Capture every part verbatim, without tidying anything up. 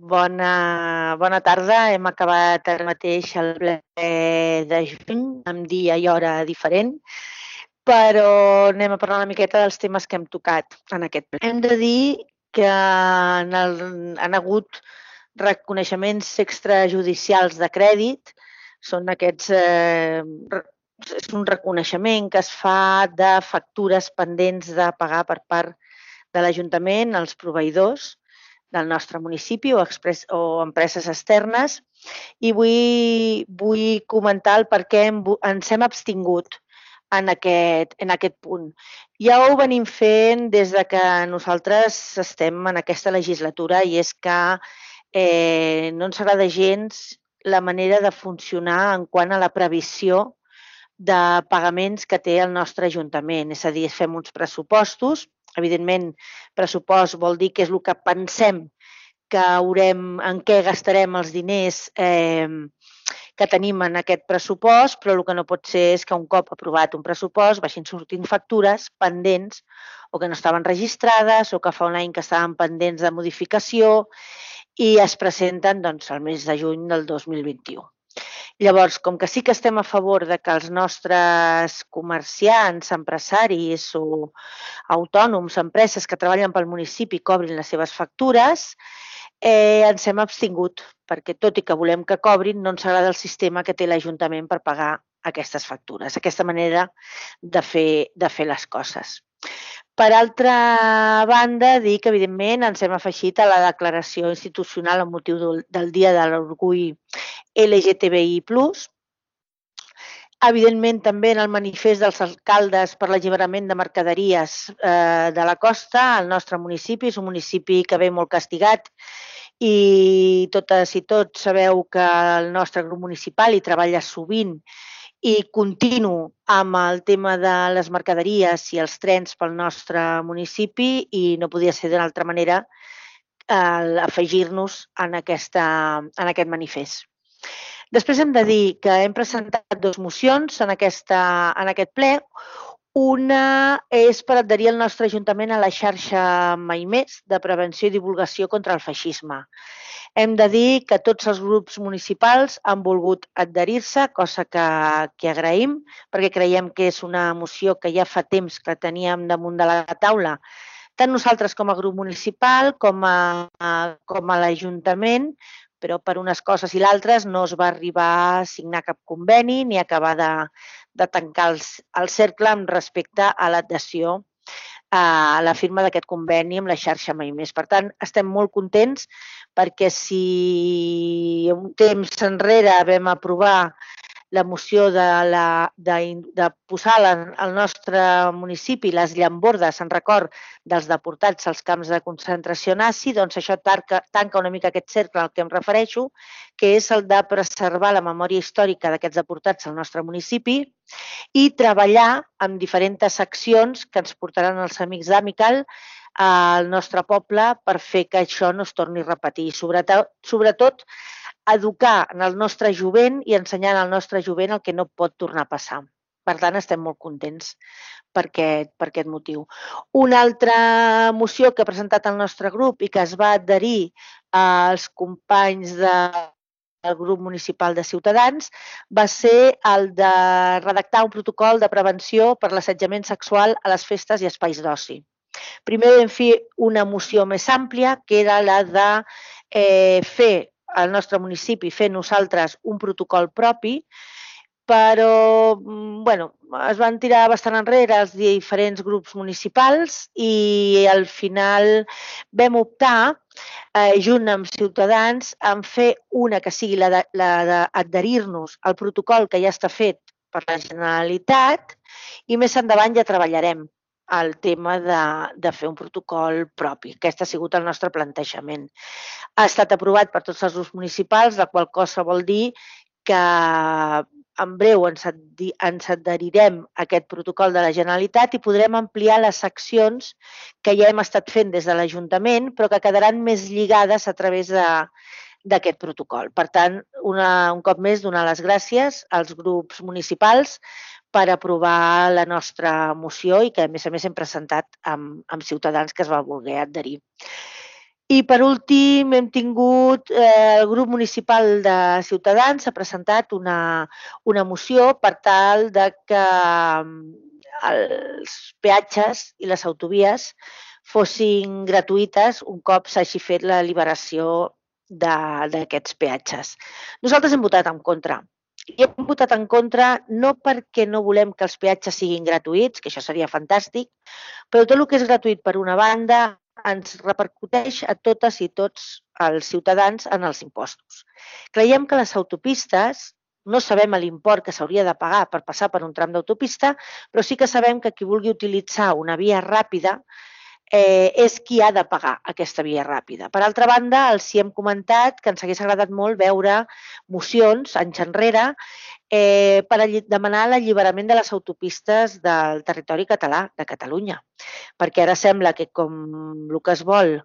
Bona, bona tarda. Hem acabat ara mateix el ple de juny, amb dia i hora diferent, però anem a parlar una miqueta dels temes que hem tocat en aquest ple. Hem de dir que en el, han hagut reconeixements extrajudicials de crèdit. Són aquests, eh, és un reconeixement que es fa de factures pendents de pagar per part de l'Ajuntament als proveïdors del nostre municipi o, express, o empreses externes, i vull, vull comentar el per què hem, ens hem abstingut en aquest, en aquest punt. Ja ho venim fent des de que nosaltres estem en aquesta legislatura, i és que eh, no ens agrada gens la manera de funcionar en quant a la previsió de pagaments que té el nostre Ajuntament. És a dir, fem uns pressupostos. Evidentment, pressupost vol dir que és el que pensem que haurem, en què gastarem els diners eh, que tenim en aquest pressupost, però el que no pot ser és que un cop aprovat un pressupost vagin sortint factures pendents o que no estaven registrades o que fa un any que estaven pendents de modificació i es presenten doncs, al mes de juny del dos mil vint-i-u. Llavors, com que sí que estem a favor de que els nostres comerciants, empresaris o autònoms, empreses que treballen pel municipi cobrin les seves factures, eh, ens hem abstingut, perquè tot i que volem que cobrin, no ens agrada el sistema que té l'Ajuntament per pagar aquestes factures, aquesta manera de fer, de fer les coses. Per altra banda, dir que, evidentment, ens hem afegit a la declaració institucional amb motiu del Dia de l'Orgull L G T B I plus. Evidentment, també en el manifest dels alcaldes per l'alliberament de mercaderies eh, de la costa, el nostre municipi és un municipi que ve molt castigat i totes i tots sabeu que el nostre grup municipal hi treballa sovint i continu amb el tema de les mercaderies i els trens pel nostre municipi, i no podia ser d'una altra manera eh, afegir-nos en, aquesta, en aquest manifest. Després hem de dir que hem presentat dues mocions en, aquesta, en aquest ple. Una és per adherir el nostre Ajuntament a la xarxa Mai Més de prevenció i divulgació contra el feixisme. Hem de dir que tots els grups municipals han volgut adherir-se, cosa que, que agraïm, perquè creiem que és una moció que ja fa temps que teníem damunt de la taula, tant nosaltres com a grup municipal com a, com a l'Ajuntament, però per unes coses i l'altres no es va arribar a signar cap conveni ni acabar de, de tancar el, el cercle amb respecte a l'adhesió a la firma d'aquest conveni amb la xarxa Mai Més. Per tant, estem molt contents perquè si un temps enrere vam aprovar la moció de, la, de, de posar al nostre municipi les llambordes en record dels deportats als camps de concentració nazi, doncs això tanca, tanca una mica aquest cercle al que em refereixo, que és el de preservar la memòria històrica d'aquests deportats al nostre municipi i treballar amb diferents accions que ens portaran els amics d'Amical al nostre poble per fer que això no es torni a repetir. Sobretot, sobretot educar en el nostre jovent i ensenyar al nostre jovent el que no pot tornar a passar. Per tant, estem molt contents per aquest, per aquest motiu. Una altra moció que ha presentat el nostre grup i que es va adherir als companys de el grup municipal de Ciutadans va ser el de redactar un protocol de prevenció per l'assetjament sexual a les festes i espais d'oci. Primer vam fer una moció més àmplia, que era la de eh, fer al nostre municipi, fer nosaltres un protocol propi, però bueno, es van tirar bastant enrere els diferents grups municipals i al final vam optar, eh, junt amb Ciutadans, en fer una que sigui la d'adherir-nos al protocol que ja està fet per la Generalitat, i més endavant ja treballarem el tema de, de fer un protocol propi. Aquest ha sigut el nostre plantejament. Ha estat aprovat per tots els grups municipals, la qual cosa vol dir que en breu ens, ens adherirem a aquest protocol de la Generalitat i podrem ampliar les accions que ja hem estat fent des de l'Ajuntament, però que quedaran més lligades a través de, d'aquest protocol. Per tant, una, un cop més, donar les gràcies als grups municipals per aprovar la nostra moció i que, a més a més, hem presentat amb, amb Ciutadans, que es va voler adherir. I per últim hem tingut, eh, el grup municipal de Ciutadans ha presentat una, una moció per tal de que els peatges i les autovies fossin gratuïtes un cop s'hagi fet la liberació d'aquests peatges. Nosaltres hem votat en contra. I hem votat en contra no perquè no volem que els peatges siguin gratuïts, que això seria fantàstic, però tot el que és gratuït per una banda ens repercuteix a totes i tots els ciutadans en els impostos. Creiem que les autopistes, no sabem l'import que s'hauria de pagar per passar per un tram d'autopista, però sí que sabem que qui vulgui utilitzar una via ràpida eh, és qui ha de pagar aquesta via ràpida. Per altra banda, els hi hem comentat que ens hagués agradat molt veure mocions anys enrere eh, per demanar l'alliberament de les autopistes del territori català, de Catalunya, perquè ara sembla que com el que es vol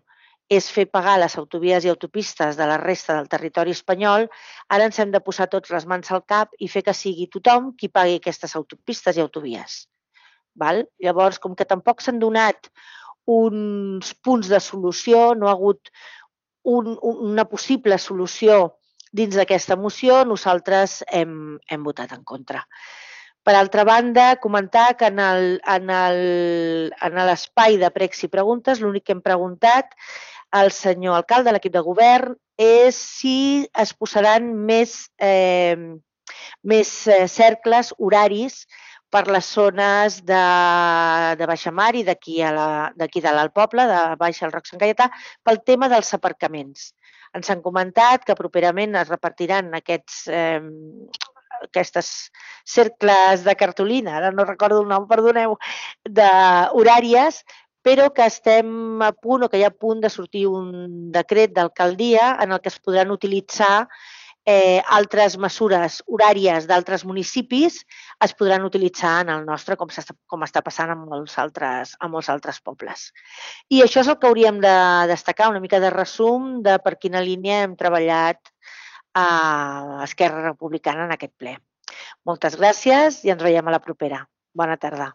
és fer pagar les autovies i autopistes de la resta del territori espanyol, ara ens hem de posar tots les mans al cap i fer que sigui tothom qui pagui aquestes autopistes i autovies. Val? Llavors, com que tampoc s'han donat uns punts de solució, no ha hagut un, una possible solució dins d'aquesta moció, nosaltres hem, hem votat en contra. Per altra banda, comentar que en l'espai de pregs i preguntes l'únic que hem preguntat al senyor alcalde de l'equip de govern és si es posaran més, eh, més cercles horaris per les zones de, de Baixamar i d'aquí de dalt al poble, de Baix al Roc Sant Gaietà, pel tema dels aparcaments. Ens han comentat que properament es repartiran aquests, eh, aquestes cercles de cartolina, ara no recordo el nom, perdoneu, d'horàries, però que estem a punt o que hi ha a punt de sortir un decret d'alcaldia en el que es podran utilitzar eh, altres mesures horàries d'altres municipis es podran utilitzar en el nostre, com, com està passant en molts, altres, en molts altres pobles. I això és el que hauríem de destacar, una mica de resum de per quina línia hem treballat a Esquerra Republicana en aquest ple. Moltes gràcies i ens veiem a la propera. Bona tarda.